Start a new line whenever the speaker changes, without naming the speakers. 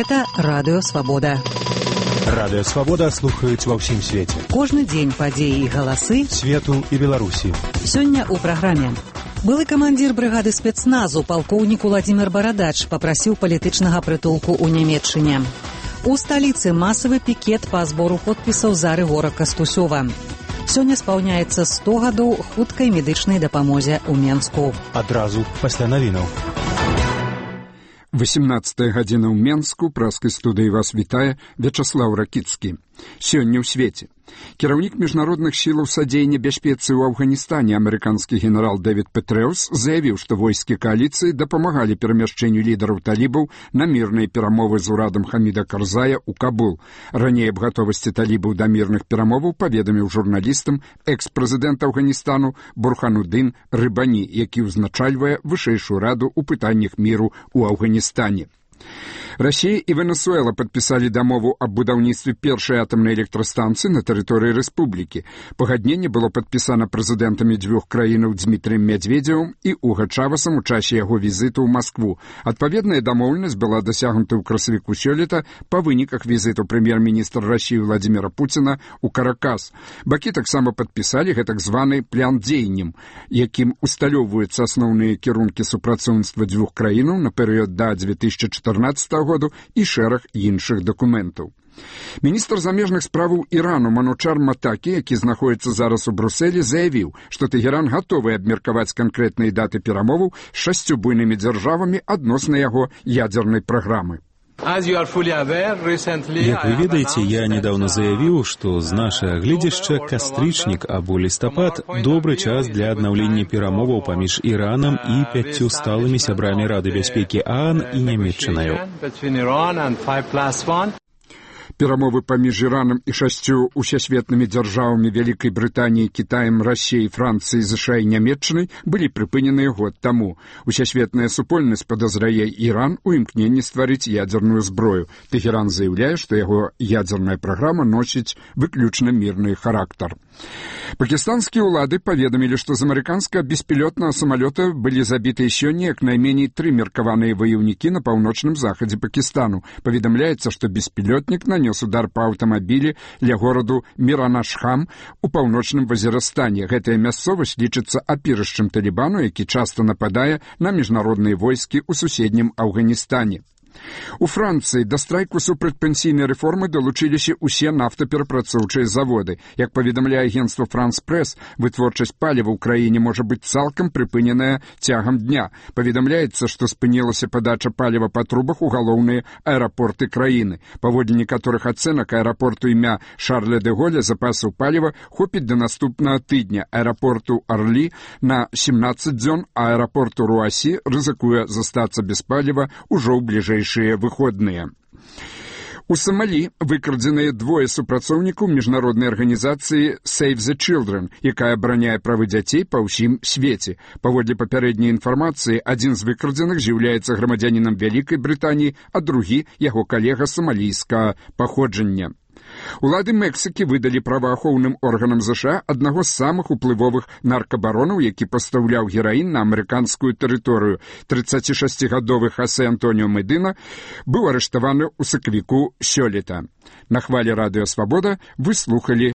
Гэта Радыё Свабода.
Радыё Свабода слухаюць ва ўсім свеце.
Кожны дзень падзеі і галасы
свету і Беларусі.
Сёння ў праграме. Былы камандзір брыгады спецназу палкоўнік Уладзімір Барадач папрасіў палітычнага прытулку ў Нямецчыне. У сталіцы масавы пікет па збору подпісаў за Рыгора Кастусёва. Сёння спаўняецца 100 гадоў хуткай медычнай дапамозе ў Менску.
Адразу пасля навінаў.
18 гадзіна ў Менску, праскай студыі вас вітае Вячаслаў Ракіцкі. Сёння ў свеце. Кіраўнік міжнародных сілаў садзеяння бяспецы ў Афганістане амерыканскі генерал Дэвід Петрэус заявіў, што войскі кааліцыі дапамагалі перамяшчэнню лідараў талібаў на мірныя перамовы з урадам Хаміда Карзая ў Кабул. Раней аб гатовасці талібаў да мірных перамоваў паведаміў журналістам экс-прэзідэнт Афганістану Бурхануддин Рыбані, які ўзначальвае вышэйшую раду ў пытаннях міру ў Афганістане. Расія і Венесуэла падпісалі дамову аб будаўніцтве першай атамнай электрастанцыі на тэрыторыі рэспублікі. Пагадненне было падпісана прэзідэнтамі дзвюх краінаў Дзмітрыем Мядзведзевым і Уга Чавасам у часе яго візіту ў Маскву. Адпаведная дамоўленасць была дасягнута ў красавіку сёлета па выніках візіту прэм'ер-міністра Расіі Владзіміра Пуціна ў Каракас. Бакі таксама падпісалі гэтак званы план дзеянняў, якім усталёўваюцца асноўныя кірункі супрацоўніцтва дзвюх краінаў на перыяд да 2014 году і шэраг іншых дакументаў. Міністр замежных справаў Ірану Манучар Матакі, які знаходіцца зараз у Брусэлі, заявіў, што Тэгеран гатовы абмеркаваць канкрэтныя даты перамоваў з 6 буйнымі дзяржавамі адносна яго ядзернай праграмы.
Как вы ведаеце, я недавно заявіў, што з нашага гледзяшча кастрычнік або лістапад добры час для аднаўлення перамоваў паміж Іранам і 5 сталымі сябрамі Рады бяспекі ААН і Нямецчынаю.
Перамовы паміж Іранам і 6 усесветнымі дзяржавамі Вялікай Брытаніі, Кітаем, Расіяй, Францыяй, ЗША і Нямецчынай былі прыпыненыя год таму. Усесветная супольнасць падазрае Іран у імкненні стварыць ядзерную зброю. Тэгеран заяўляе, што яго ядзерная праграма носіць выключна мірны характар. Пакістанскія ўлады паведамілі, што з амерыканскага беспілётнага самалёта былі забітыя сёння як найменей 3 меркаваныя ваяўнікі на паўночным захадзе Пакістану. Паведамляецца, што беспілётнік нанёс удар па аўтамабілі ля гораду Міранашхам у паўночным Вазірастане. Гэтая мясцовасць лічыцца апірышчам Талібану, які часта нападае на міжнародныя войскі ў суседнім Афганістане. У Францыі да страйку супрацьпенсійнай рэформы далучыліся ўсе нафтаперапрацоўчыя заводы. Як паведамляе агенцтва «Франс-Прэс», вытворчасць паліва ў краіне можа быць цалкам прыпыненая цягам дня. Паведамляецца, што спынілася падача паліва па трубах у галоўныя аэрапорты краіны. Паводле некаторых ацэнак аэрапорту імя Шарля де Голля запасаў паліва хопіць да наступнага тыдня. Аэрапорту Арлі на 17 дзён, а аэрапорту Руасі рызыкуе застацца без паліва ўжо ў бліжэйшыя выходныя. У Самалі выкрадзеныя 2 супрацоўнікаў міжнароднай арганізацыі Save the Children, якая абараняе правы дзяцей па ўсім свеце. Паводле папярэдняй інфармацыі, адзін з выкрадзеных з'яўляецца грамадзянінам Вялікай Брытаніі, а другі – яго калега самалійскага паходжання. Улады Мексікі выдалі праваахоўным органам ЗША аднаго з самых уплывовых наркабаронаў, які пастаўляў гераін на амерыканскую тэрыторыю. 36-гадовы Хосе Антоніо Медына быў арыштаваны ў сакавіку сёлета. На хвалі Радыё Свабода вы слухалі